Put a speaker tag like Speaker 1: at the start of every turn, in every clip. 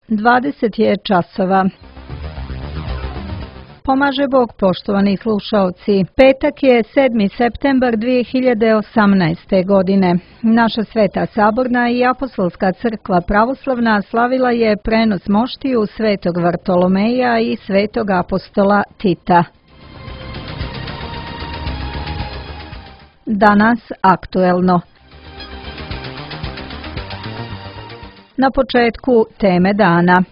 Speaker 1: 20 je časova. Pomaže Bog, poštovani slušaoci. Petak je 7. septembar 2018. godine. Naša Sveta Saborna i Apostolska crkva pravoslavna slavila je prenos moštiju Svetog Vartolomeja i Svetog apostola Tita. Danas aktuelno. Na početku teme dana.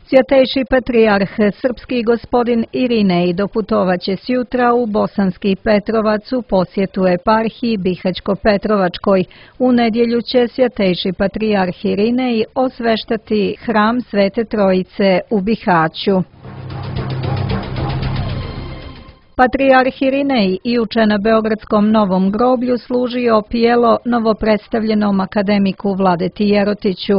Speaker 1: Svjatejši patrijarh srpski gospodin Irinej doputovaće sjutra u Bosanski Petrovac u posjetu eparhiji Bihaćko-Petrovačkoj. U nedjelju će svjatejši patrijarh Irinej osveštati hram Svete Trojice u Bihaću. Patrijarh Irinej juče na Beogradskom Novom groblju služio pijelo novopredstavljenom akademiku Vladeti Jerotiću.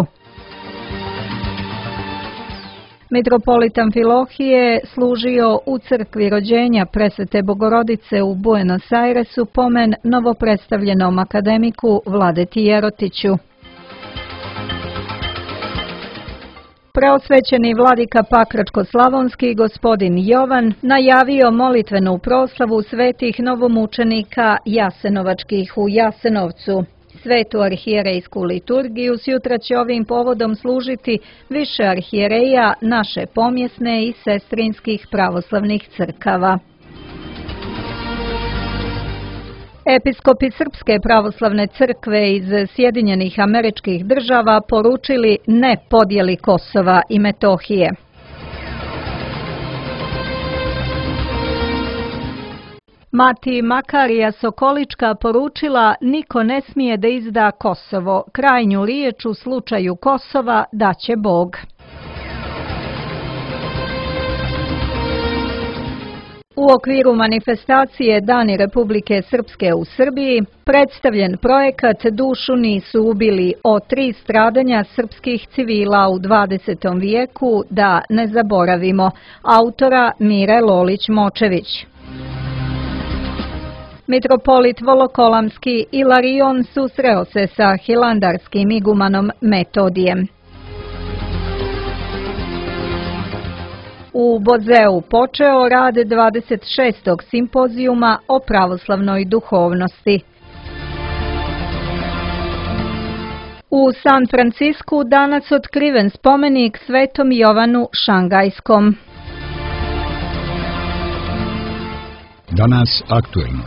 Speaker 1: Mitropolit Amfilohije služio u crkvi rođenja Presvete Bogorodice u Buenos Airesu pomen novopredstavljenom akademiku Vladeti Jerotiću. Preosvećeni vladika Pakračko-slavonski gospodin Jovan najavio molitvenu proslavu svetih novomučenika jasenovačkih u Jasenovcu. Svetu arhijerejsku liturgiju sutra će ovim povodom služiti više arhijereja naše pomjesne i sestrinskih pravoslavnih crkava. Episkopi Srpske pravoslavne crkve iz Sjedinjenih Američkih Država poručili ne podjeli Kosova i Metohije. Mati Makarija Sokolička poručila niko ne smije da izda Kosovo. Krajnju riječ u slučaju Kosova daće Bog. U okviru manifestacije Dani Republike Srpske u Srbiji predstavljen projekat Dušu nisu ubili o 3 stradanja srpskih civila u 20. vijeku da ne zaboravimo, autora Mire Lolić-Močević. Mitropolit Volokolamski Ilarion susreo se sa hilandarskim igumanom Metodijem. U Bozeu počeo rad 26. simpozijuma o pravoslavnoj duhovnosti. U San Francisku danas otkriven spomenik Svetom Jovanu Šangajskom.
Speaker 2: Danas aktuelno.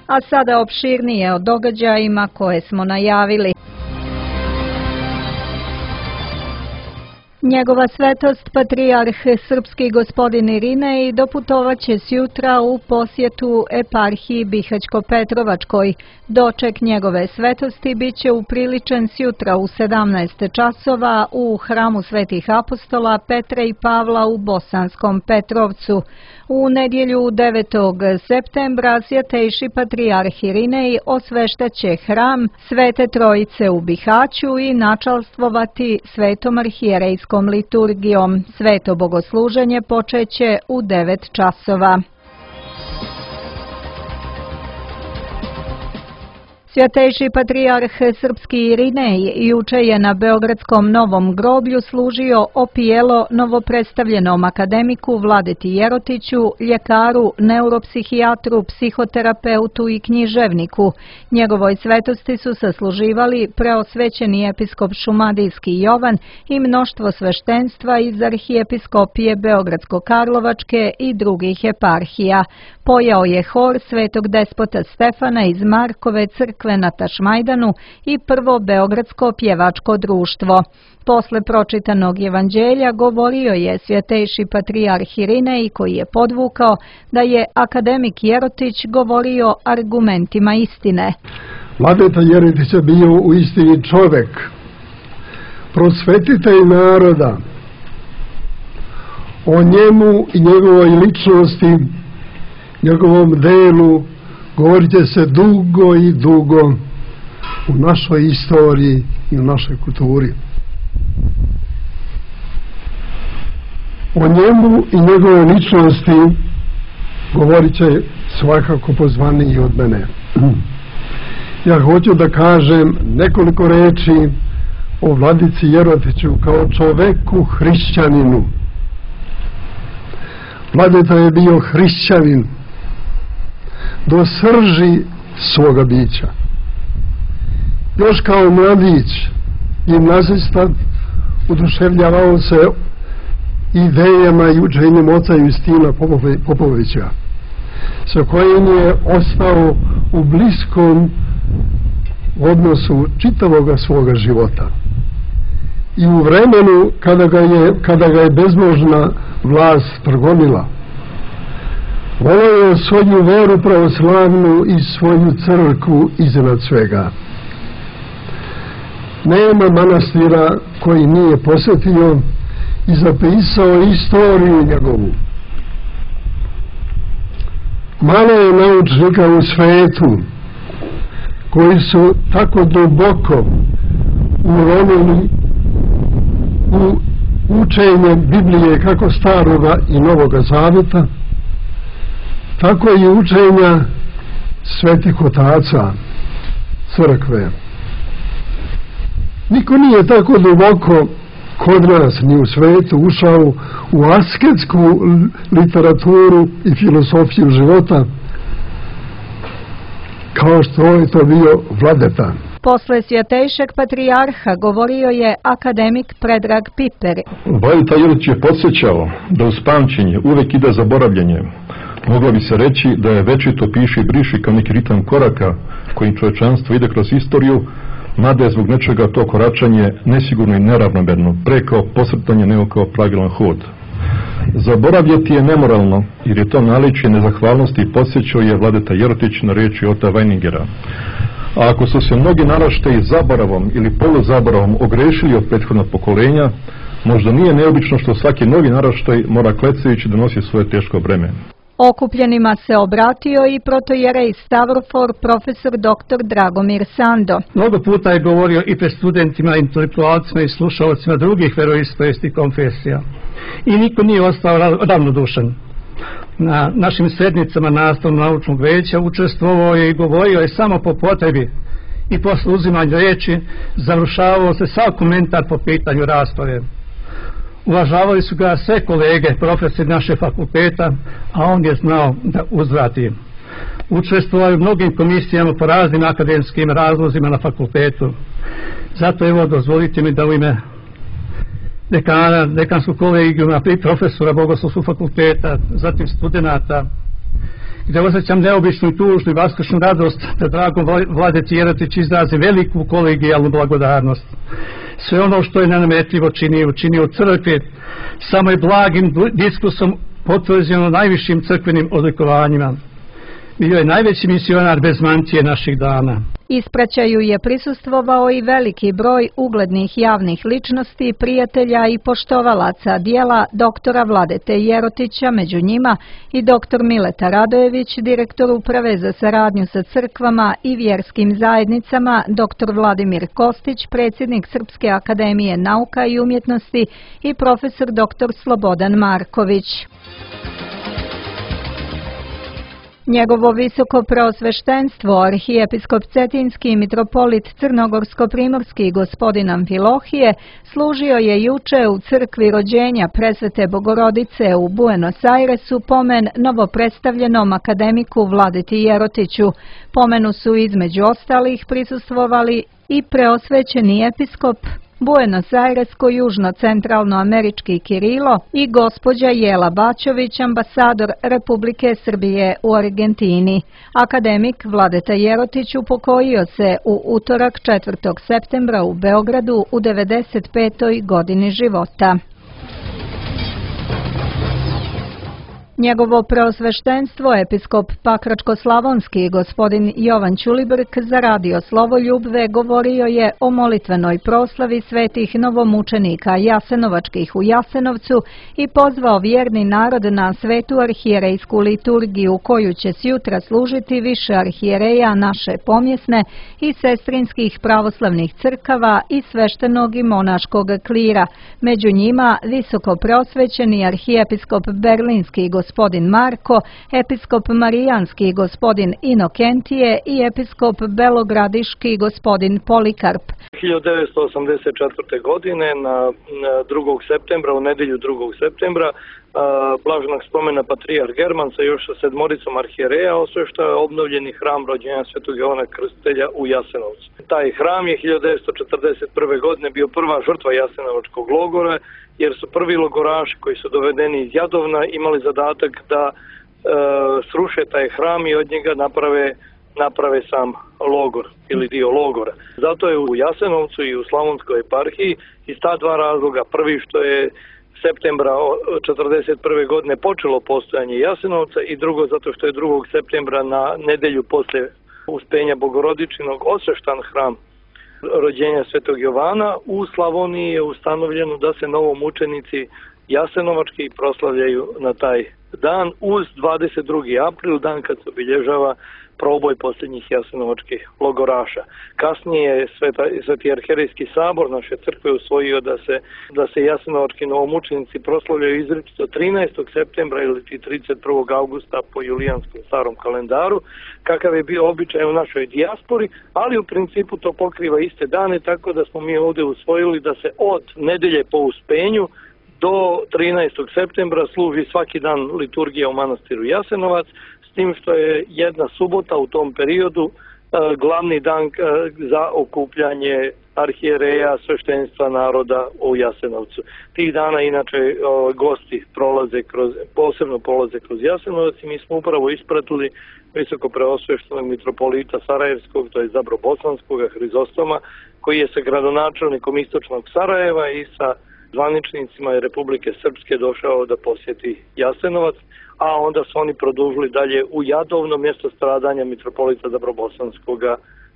Speaker 1: A sada opširnije o događajima koje smo najavili. Njegova svetost patrijarh srpski gospodin Irinej doputovaće sjutra u posjetu eparhiji Bihaćko-Petrovačkoj. Doček njegove svetosti biće upriličen sjutra u 17 časova u hramu svetih apostola Petra i Pavla u Bosanskom Petrovcu. U nedjelju 9. septembra svjatejši patrijarh Irinej osveštaće hram Svete Trojice u Bihaću i načalstvovati svetom arhijerejskom liturgijom. Sveto bogosluženje počeće u 9 časova. Svjatejši patrijarh srpski Irinej juče je na Beogradskom Novom groblju služio opijelo novopredstavljenom akademiku Vladeti Jerotiću, ljekaru, neuropsihijatru, psihoterapeutu i književniku. Njegovoj svetosti su sasluživali preosvećeni episkop Šumadijski Jovan i mnoštvo sveštenstva iz arhijepiskopije Beogradsko-Karlovačke i drugih eparhija. Pojao je hor svetog despota Stefana iz Markove crkve na Tašmajdanu i prvo Beogradsko pjevačko društvo. Posle pročitanog evanđelja govorio je svjatejši patrijarh Irinej koji je podvukao da je akademik Jerotić govorio argumentima istine.
Speaker 3: Vladeta Jerotić je bio u istini čovjek, prosvetitelj naroda. O njemu i njegovoj ličnosti, njegovom delu govorit će se dugo i dugo u našoj istoriji i u našoj kulturi. O njemu i njegove ličnosti govorit će svakako pozvaniji od mene. Ja hoću da kažem nekoliko reči o vladici Jerotiću kao čoveku hrišćaninu. Vladeta je bio hrišćanin do srži svoga bića. Još kao mladić gimnazista oduševljavao se idejama i učenjem oca Justina Popovića, sa kojim je ostao u bliskom odnosu čitavoga svoga života. I u vremenu kada ga je bezbožna vlast progonila, voleo je svoju veru pravoslavnu i svoju crkvu iznad svega. Nema manastira koji nije posjetio i zapisao istoriju njegovu. Malo je naučnika u svetu koji su tako duboko uronili u učenje Biblije kako Staroga i Novoga Zaveta, tako i učenja svetih otaca crkve. Niko nije tako duboko kod nas ni u svetu ušao u asketsku literaturu i filosofiju života kao što je to bio Vladeta.
Speaker 1: Posle svjetejšeg patrijarha govorio je akademik Predrag Piper.
Speaker 2: Vladeta Jerotić je podsjećao da uz pamćenje uvek ide zaboravljanje. Moglo bi se reći da je večito piši i briši kao neki ritam koraka kojim čovečanstvo ide kroz istoriju, mada je zbog nečega to koračanje nesigurno i neravnomerno, pre kao posrtanje nego kao pravilan hod. Zaboravljati je nemoralno, jer je to naličje nezahvalnosti i podsjećao je Vladeta Jerotić na riječi Ota Weiningera. A ako su se mnogi naraštaji zaboravom ili poluzaboravom ogrešili od prethodnog pokolenja, možda nije neobično što svaki novi naraštaj mora klecajući donosi svoje teško breme.
Speaker 1: Okupljenima se obratio i protojerej Stavrofor profesor dr. Dragomir Sando.
Speaker 4: Mnogo puta je govorio i pred studentima, intelektualcima i slušalcima drugih veroispovesti konfesija. I niko nije ostao ravnodušan. Na našim sednicama nastavno-naučnog veća učestvovao je i govorio je samo po potrebi i posle uzimanja riječi završavao se sav komentar po pitanju rasprave. Uvažavali su ga sve kolege, profesori naše fakulteta, a on je znao da uzvrati. Učestvovao je u mnogim komisijama po raznim akademskim razlozima na fakultetu. Zato evo dozvolite mi da u ime dekana, dekanskog kolegijuma i profesora Bogoslovskog fakulteta, zatim studenata, gdje osjećam neobičnu i tužnu i vaskršnju radost da dragom Vladeti Jerotić izrazi veliku kolegijalnu blagodarnost. Sve ono što je nenametljivo učinio u crkvi, samo je blagim diskursom potvrđeno najvišim crkvenim odlikovanjima. Bio je najveći misionar bez mantije naših dana.
Speaker 1: Ispraćaju je prisustvovao i veliki broj uglednih javnih ličnosti, prijatelja i poštovalaca dijela doktora Vladete Jerotića, među njima i doktor Mileta Radojević, direktor uprave za saradnju sa crkvama i vjerskim zajednicama, doktor Vladimir Kostić, predsjednik Srpske akademije nauka i umjetnosti i profesor doktor Slobodan Marković. Njegovo visoko preosveštenstvo, arhijepiskop Cetinski i mitropolit Crnogorsko-primorski gospodin Amfilohije, služio je juče u crkvi rođenja Presvete Bogorodice u Buenos Airesu pomen novopredstavljenom akademiku Vladeti Jerotiću. Pomenu su između ostalih prisustvovali i preosvećeni episkop Buenos Airesko-južno-centralnoamerički Kirilo i gospođa Jela Bačović, ambasador Republike Srbije u Argentini. Akademik Vladeta Jerotić upokojio se u utorak 4. septembra u Beogradu u 95. godini života. Njegovo preosveštenstvo, episkop Pakračko-slavonski gospodin Jovan Ćulibrk za radio Slovoljubve govorio je o molitvenoj proslavi svetih novomučenika Jasenovačkih u Jasenovcu i pozvao vjerni narod na svetu arhijerejsku liturgiju koju će sjutra služiti više arhijereja naše pomjesne i sestrinskih pravoslavnih crkava i sveštenog i monaškog klira. Među njima visoko preosvećeni arhijepiskop Berlinski gospodin gospodin Marko, episkop marijanski gospodin Inokentije i episkop belogradiški gospodin Polikarp.
Speaker 5: 1984. godine na 2. septembra, u nedjelju 2. septembra, blaženog spomena patrijarh German sa još 7 arhijereja osvešta obnovljeni hram rođenja Svetog Jovana Krstitelja u Jasenovcu. Taj hram je 1941. godine bio prva žrtva jasenovačkog logora, jer su prvi logoraši koji su dovedeni iz Jadovna imali zadatak da sruše taj hram i od njega naprave sam logor ili dio logora. Zato je u Jasenovcu i u Slavonskoj eparhiji iz ta dva razloga. Prvi što je septembra 1941. godine počelo postojanje Jasenovca i drugo zato što je 2. septembra na nedjelju poslije Uspenja Bogorodičinog osveštan hram rođenja Svetog Jovana. U Slavoniji je ustanovljeno da se novomučenici jasenovački proslavljaju na taj dan uz 22. april, dan kad se obilježava proboj posljednjih jasenovačkih logoraša. Kasnije je Sveti arhijerejski sabor naše crkve usvojio da se jasenovački novomučenici proslavljaju izričito 13. septembra ili 31. augusta po julijanskom starom kalendaru, kakav je bio običaj u našoj dijaspori, ali u principu to pokriva iste dane, tako da smo mi ovdje usvojili da se od nedelje po Uspenju do 13. septembra služi svaki dan liturgija u manastiru Jasenovac, s tim što je jedna subota u tom periodu glavni dan za okupljanje arhijereja, sveštenstva naroda u Jasenovcu. Tih dana inače gosti posebno prolaze kroz Jasenovac i mi smo upravo ispratili visoko preosveštenog mitropolita Sarajevskog, to je Zabro-Bosanskog, Hrizostoma, koji je sa gradonačelnikom istočnog Sarajeva i sa zvaničnicima Republike Srpske došao da posjeti Jasenovac, a onda su oni produžili dalje u Jadovno, mjesto stradanja mitropolita Zabrobosanskog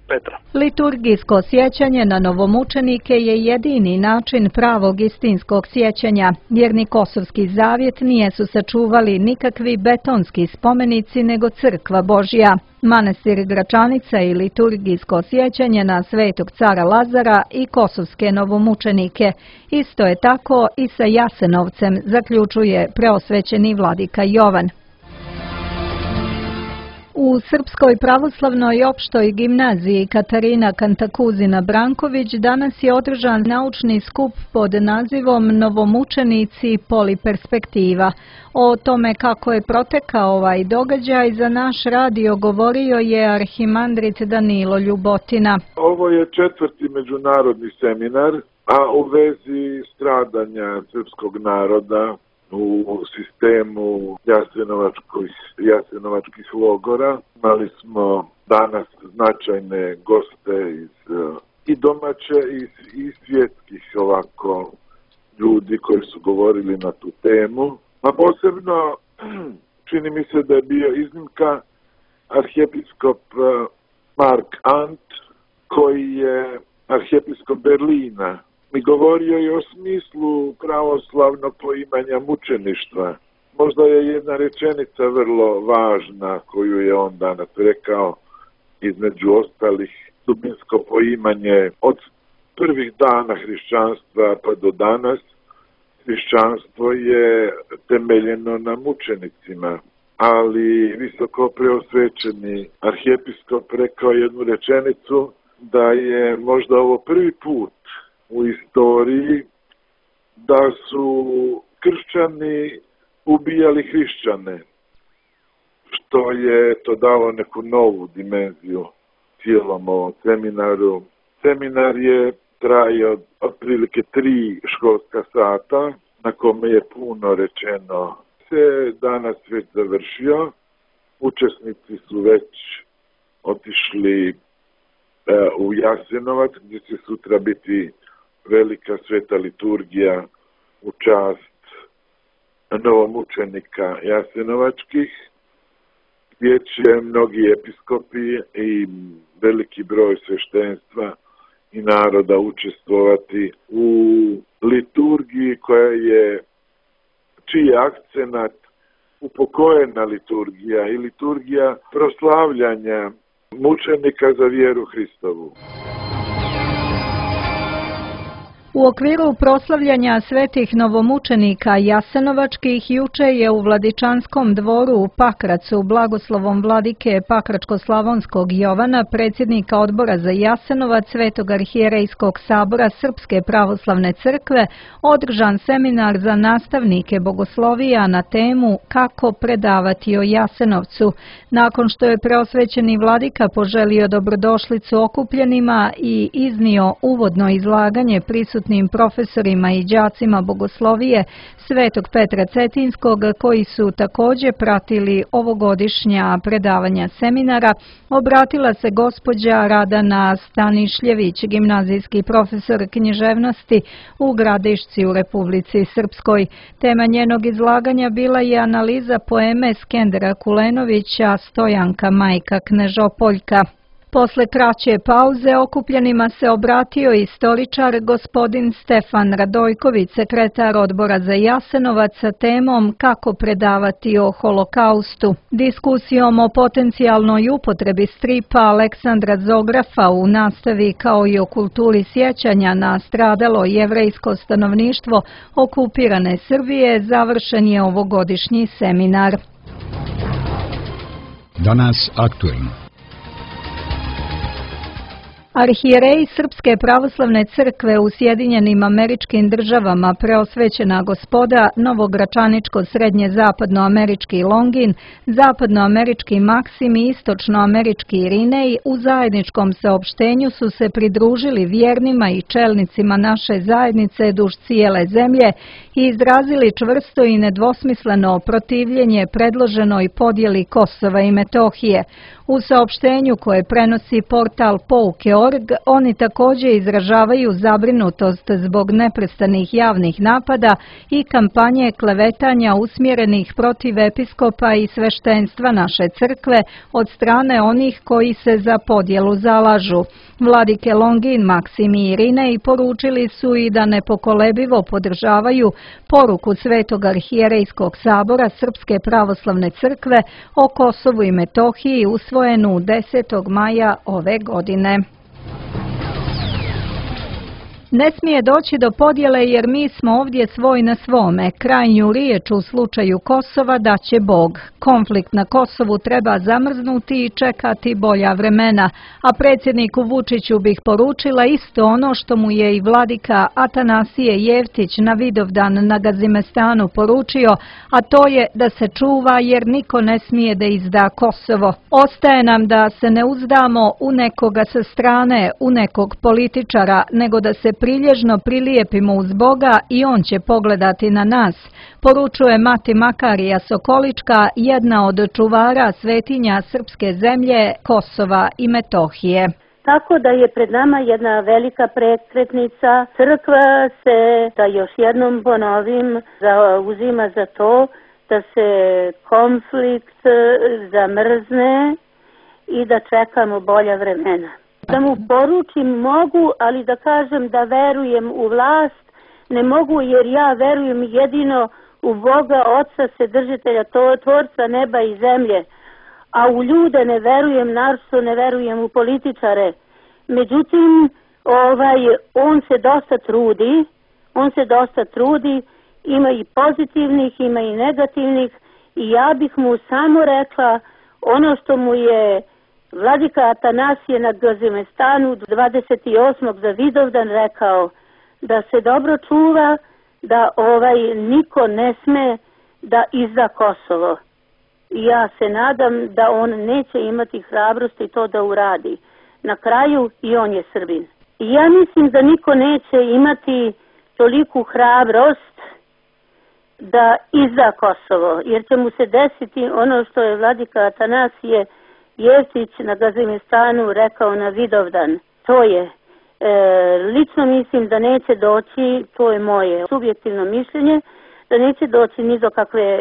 Speaker 5: Petra.
Speaker 1: Liturgijsko sjećanje na novomučenike je jedini način pravog istinskog sjećanja, jer ni Kosovski zavjet nije su sačuvali nikakvi betonski spomenici nego crkva Božja. Manastir Gračanica i liturgijsko sjećanje na Svetog cara Lazara i kosovske novomučenike. Isto je tako i sa Jasenovcem, zaključuje preosvećeni vladika Jovan. U Srpskoj pravoslavnoj opštoj gimnaziji Katarina Kantakuzina Branković danas je održan naučni skup pod nazivom Novomučenici poliperspektiva. O tome kako je protekao ovaj događaj za naš radio govorio je arhimandrit Danilo Ljubotina.
Speaker 6: Ovo je 4. međunarodni seminar, a u vezi stradanja srpskog naroda u sistemu jasenovačkih logora. Imali smo danas značajne goste i domaće i svjetskih ljudi koji su govorili na tu temu. A posebno čini mi se da je bio iznimka arhijepiskop Mark Ant, koji je arhijepiskop Berlina. I govorio je o smislu pravoslavnog poimanja mučeništva. Možda je jedna rečenica vrlo važna koju je on danas rekao, između ostalih, dubinsko poimanje od prvih dana hrišćanstva pa do danas. Hrišćanstvo je temeljeno na mučenicima, ali visoko preosvećeni arhijepiskop rekao jednu rečenicu da je možda ovo prvi put u istoriji da su kršćani ubijali hrišćane, što je to dalo neku novu dimenziju cijelom ovom seminaru. Seminar je trajao otprilike 3 školska sata, na kome je puno rečeno. Se danas već završio, učesnici su već otišli u Jasenovac, gdje će sutra biti velika sveta liturgija u čast novomučenika jasenovačkih, gdje će mnogi episkopi i veliki broj sveštenstva i naroda učestvovati u liturgiji čiji je akcenat upokojena liturgija i liturgija proslavljanja mučenika za vjeru Hristovu.
Speaker 1: U okviru proslavljanja svetih novomučenika Jasenovačkih juče je u Vladičanskom dvoru u Pakracu blagoslovom vladike Pakračko-slavonskog Jovana, predsjednika odbora za Jasenovac Svetog arhijerejskog sabora Srpske pravoslavne crkve, održan seminar za nastavnike bogoslovija na temu kako predavati o Jasenovcu. Nakon što je preosvećeni vladika poželio dobrodošlicu okupljenima i iznio uvodno izlaganje prisutnim profesorima i đacima bogoslovije Svetog Petra Cetinskog, koji su također pratili ovogodišnja predavanja seminara, obratila se gospođa Radana Stanišljević, gimnazijski profesor književnosti u Gradišci u Republici Srpskoj. Tema njenog izlaganja bila je analiza poeme Skendera Kulenovića Stojanka majka Knežopoljka. Posle kraće pauze okupljenima se obratio istoričar gospodin Stefan Radojković, sekretar odbora za Jasenovac, sa temom kako predavati o holokaustu. Diskusijom o potencijalnoj upotrebi stripa Aleksandra Zografa u nastavi kao i o kulturi sjećanja na stradalo jevrejsko stanovništvo okupirane Srbije završen je ovogodišnji seminar.
Speaker 7: Danas aktuelno.
Speaker 1: Arhijerej Srpske pravoslavne crkve u Sjedinjenim Američkim Državama, preosvećena gospoda Novogračaničko srednje zapadnoamerički Longin, zapadnoamerički Maksim i istočnoamerički Irinej u zajedničkom saopštenju su se pridružili vjernima i čelnicima naše zajednice duž cijele zemlje i izrazili čvrsto i nedvosmisleno protivljenje predloženoj podjeli Kosova i Metohije. U saopštenju koje prenosi portal Pouke.org, oni također izražavaju zabrinutost zbog neprestanih javnih napada i kampanje klevetanja usmjerenih protiv episkopa i sveštenstva naše crkve od strane onih koji se za podjelu zalažu. Vladike Longin, Maksim i Irinej poručili su i da nepokolebivo podržavaju poruku Svetog arhijerejskog sabora Srpske pravoslavne crkve o Kosovu i Metohiji usvojenu 10. maja ove godine. Ne smije doći do podjele jer mi smo ovdje svoj na svome. Krajnju riječ u slučaju Kosova daće Bog. Konflikt na Kosovu treba zamrznuti i čekati bolja vremena. A predsjedniku Vučiću bih poručila isto ono što mu je i vladika Atanasije Jevtić na Vidovdan na Gazimestanu poručio, a to je da se čuva jer niko ne smije da izda Kosovo. Ostaje nam da se ne uzdamo u nekoga sa strane, u nekog političara, nego da se prilježno prilijepimo uz Boga i on će pogledati na nas, poručuje mati Makarija Sokolička, jedna od čuvara svetinja srpske zemlje Kosova i Metohije.
Speaker 8: Tako da je pred nama jedna velika prekretnica. Crkva se, da još jednom ponovim, zauzima za to da se konflikt zamrzne i da čekamo bolja vremena. Da mu poručim mogu, ali da kažem da verujem u vlast ne mogu, jer ja verujem jedino u Boga, Oca, Vседržitelja, Tvorca neba i zemlje, a u ljude ne verujem, naročito ne verujem u političare. Međutim, on se dosta trudi, ima i pozitivnih, ima i negativnih, i ja bih mu samo rekla ono što mu je vladika Atanasije na Gazimestanu 28. za Vidovdan rekao, da se dobro čuva, da niko ne sme da izda Kosovo. I ja se nadam da on neće imati hrabrosti to da uradi. Na kraju i on je Srbin. I ja mislim da niko neće imati toliku hrabrost da izda Kosovo, jer će mu se desiti ono što je vladika Atanasije Jevtić na Gazimestanu rekao na Vidovdan. To je, lično mislim da neće doći, to je moje subjektivno mišljenje, da neće doći ni do kakve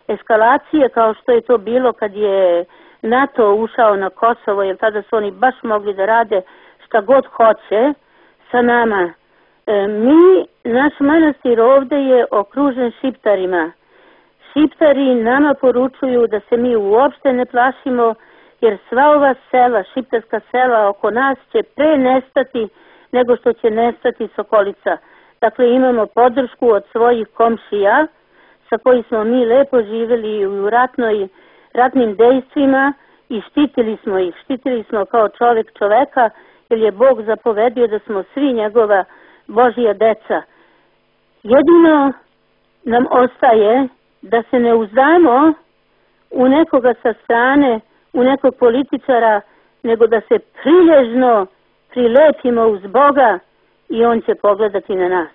Speaker 8: eskalacije kao što je to bilo kad je NATO ušao na Kosovo, jer tada su oni baš mogli da rade šta god hoće sa nama. Naš manastir ovdje je okružen Šiptarima. Šiptari nama poručuju da se mi uopšte ne plašimo, jer sva ova sela, šiptarska sela oko nas će pre nestati nego što će nestati Sokolica. Dakle, imamo podršku od svojih komšija sa koji smo mi lepo živjeli u ratnim dejstvima i štitili smo ih. Štitili smo kao čovjek čoveka, jer je Bog zapovedio da smo svi njegova Božja deca. Jedino nam ostaje da se ne uzdamo u nekoga sa strane, u nekog političara, nego da se prilježno prilepimo uz Boga i on će pogledati na nas.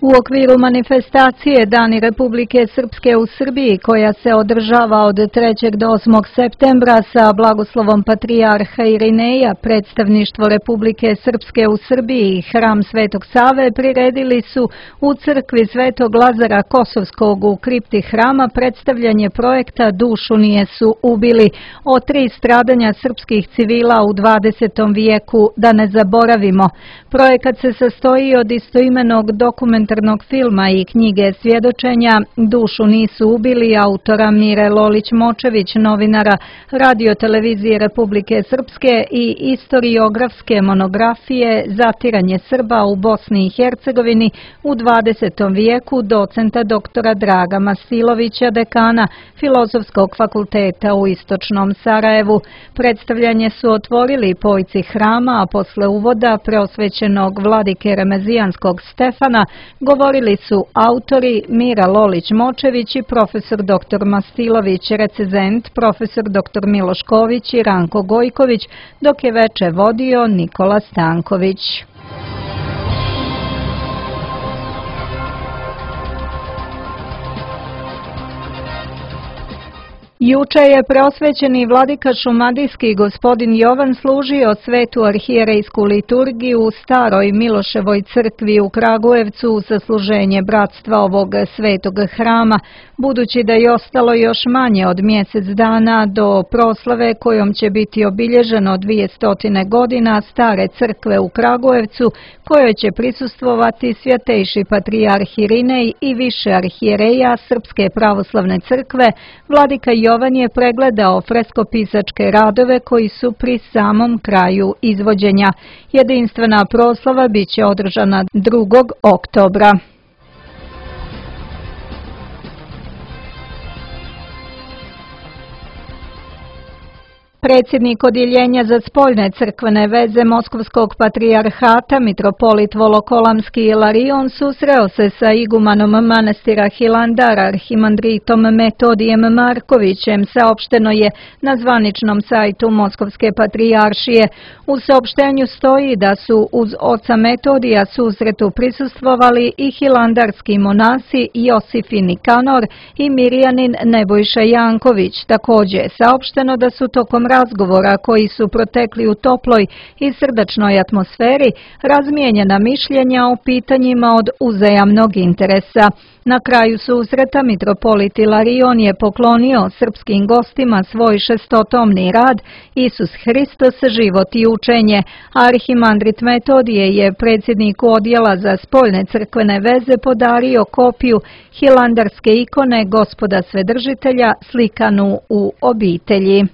Speaker 1: U okviru manifestacije Dani Republike Srpske u Srbiji, koja se održava od 3. do 8. septembra sa blagoslovom patrijarha Irineja, predstavništvo Republike Srpske u Srbiji i hram Svetog Save priredili su u crkvi Svetog Lazara Kosovskog u kripti hrama predstavljanje projekta Dušu nijesu ubili, o 3 stradanja srpskih civila u 20. vijeku, da ne zaboravimo. Projekat se sastoji od istoimenog dokumentarnog filma i knjige svjedočenja Dušu nisu ubili autora Mire Lolić-Močević, novinara Radio-televizije Republike Srpske i istoriografske monografije Zatiranje Srba u Bosni i Hercegovini u 20. vijeku docenta doktora Draga Masilovića, dekana Filozofskog fakulteta u Istočnom Sarajevu. Predstavljanje su otvorili pojci hrama, a posle uvoda preosvećenog vladike Remezijanskog Stefana govorili su autori Mira Lolić-Močević i profesor dr. Masilović, recenzent profesor dr. Miloš Ković i Ranko Gojković, dok je veče vodio Nikola Stanković. Juče je preosvećeni vladika šumadijski gospodin Jovan služio svetu arhijerejsku liturgiju u staroj Miloševoj crkvi u Kragujevcu za služenje bratstva ovog svetog hrama, budući da je ostalo još manje od mjesec dana do proslave kojom će biti obilježeno 200 godina stare crkve u Kragujevcu, kojoj će prisustvovati svjatejši patrijarh Irinej i više arhijereja Srpske pravoslavne crkve. Vladika Jovan je pregledao freskopisačke radove koji su pri samom kraju izvođenja. Jedinstvena proslava biće održana 2. oktobra. Predsjednik Odjeljenja za spoljne crkvene veze Moskovskog patrijarhata, mitropolit Volokolamski Ilarion, susreo se sa igumanom manastira Hilandar, arhimandritom Metodijem Markovićem, saopšteno je na zvaničnom sajtu Moskovske patrijaršije. U saopštenju stoji da su uz oca Metodija susretu prisustvovali i hilandarski monasi Josif i Nikanor i Mirjanin Nebojša Janković. Također je saopšteno da su tokom razgovora koji su protekli u toploj i srdačnoj atmosferi razmijenjena mišljenja o pitanjima od uzajamnog interesa. Na kraju susreta mitropolit Ilarion je poklonio srpskim gostima svoj 600-tomni rad Isus Hristos, život i učenje. Arhimandrit Metodije je predsjedniku odjela za spoljne crkvene veze podario kopiju hilandarske ikone Gospoda Svedržitelja slikanu u obitelji.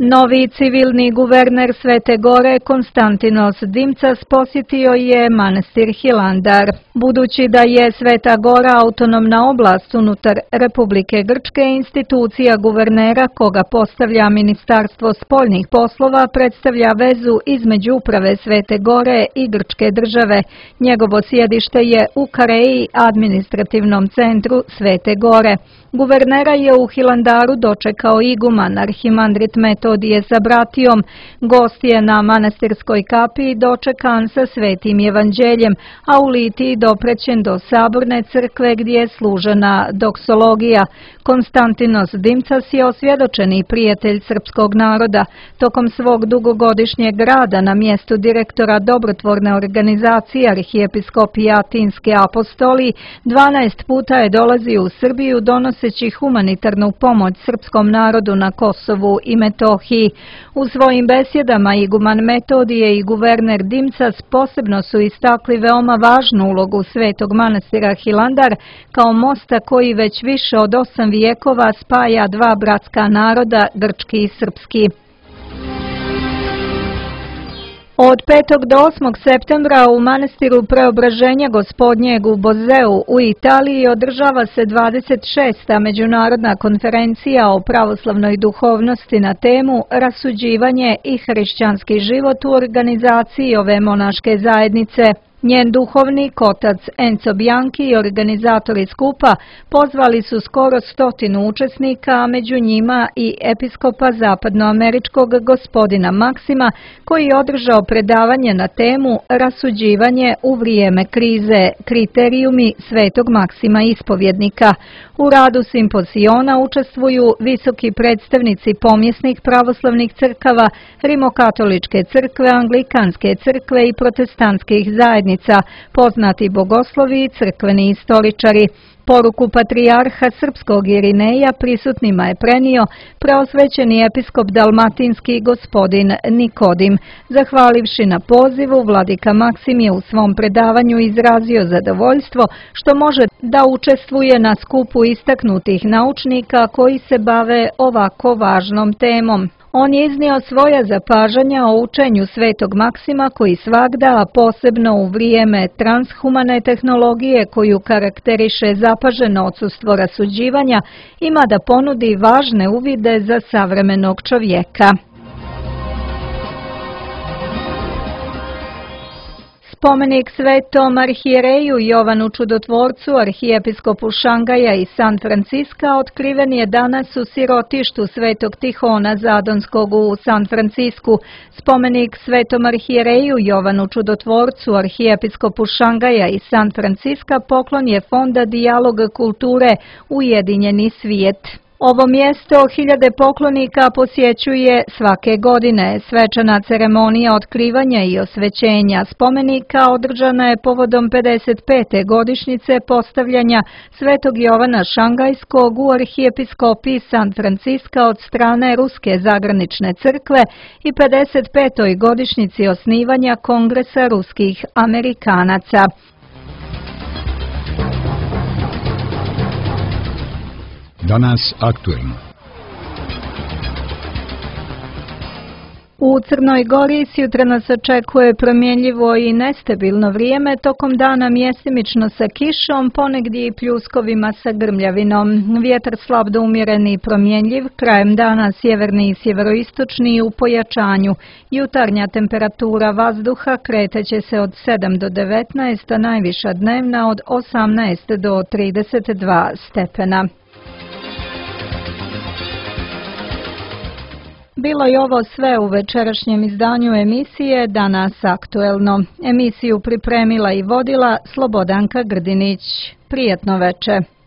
Speaker 1: Novi civilni guverner Svete Gore Konstantinos Dimcas posjetio je manastir Hilandar. Budući da je Sveta Gora autonomna oblast unutar Republike Grčke, institucija guvernera koga postavlja Ministarstvo spoljnih poslova predstavlja vezu između uprave Svete Gore i Grčke države. Njegovo sjedište je u Kareji, administrativnom centru Svete Gore. Guvernera je u Hilandaru dočekao iguman arhimandrit Metodije sa bratijom. Gost je na manastirskoj kapiji dočekan sa svetim evanđeljem, a u litiji doprećen do saborne crkve gdje je služena doksologija. Konstantinos Dimcas je osvjedočeni prijatelj srpskog naroda. Tokom svog dugogodišnjeg rada na mjestu direktora dobrotvorne organizacije Arhijepiskopije Atinske apostoliji 12 puta je dolazio u Srbiju donosi noseći humanitarnu pomoć srpskom narodu na Kosovu i Metohiji. U svojim besjedama iguman Metodije i guverner Dimcas posebno su istakli veoma važnu ulogu Svetog manastira Hilandar kao mosta koji već više od 8 vijekova spaja dva bratska naroda, grčki i srpski. Od 5. do 8. septembra u manastiru Preobraženja Gospodnjeg u Bozeu u Italiji održava se 26. međunarodna konferencija o pravoslavnoj duhovnosti na temu Rasuđivanje i hrišćanski život u organizaciji ove monaške zajednice. Njen duhovnik, otac Enzo Bianchi i organizatori skupa pozvali su skoro 100 učesnika, a među njima i episkopa zapadnoameričkog gospodina Maksima, koji je održao predavanje na temu Rasuđivanje u vrijeme krize, kriterijumi Svetog Maksima ispovjednika. U radu simpoziona učestvuju visoki predstavnici pomjesnih pravoslavnih crkava, Rimokatoličke crkve, Anglikanske crkve i protestantskih zajednica, poznati bogoslovi i crkveni istoričari. Poruku patrijarha srpskog Irineja prisutnima je prenio preosvećeni episkop dalmatinski gospodin Nikodim. Zahvalivši na pozivu, vladika Maksim je u svom predavanju izrazio zadovoljstvo što može da učestvuje na skupu istaknutih naučnika koji se bave ovako važnom temom. On je iznio svoja zapažanja o učenju Svetog Maksima koji svagda, a posebno u vrijeme transhumane tehnologije koju karakteriše zapaženo odsustvo rasuđivanja, ima da ponudi važne uvide za savremenog čovjeka. Spomenik Svetom arhijereju Jovanu Čudotvorcu, arhijepiskopu Šangaja i San Franciska, otkriven je danas u sirotištu Svetog Tihona Zadonskog u San Francisku. Spomenik Svetom arhijereju Jovanu Čudotvorcu, arhijepiskopu Šangaja i San Franciska poklon je Fonda Dijalog kulture Ujedinjeni svijet. Ovo mjesto hiljade poklonika posjećuje svake godine. Svečana ceremonija otkrivanja i osvećenja spomenika održana je povodom 55. godišnjice postavljanja Svetog Jovana Šangajskog u arhijepiskopiji San Franciska od strane Ruske zagranične crkve i 55. godišnjici osnivanja Kongresa ruskih Amerikanaca.
Speaker 7: Danas aktuelno.
Speaker 1: U Crnoj Gori sjutra nas očekuje promjenljivo i nestabilno vrijeme, tokom dana mjesimično sa kišom, ponegdje i pljuskovima sa grmljavinom. Vjetar slab do umjereni i promjenljiv, krajem dana sjeverni i sjeveroistočni u pojačanju. Jutarnja temperatura vazduha kretaće se od 7 do 19, a najviša dnevna od 18 do 32 stepena. Bilo je ovo sve u večerašnjem izdanju emisije Danas aktuelno. Emisiju pripremila i vodila Slobodanka Grdinić. Prijetno veče.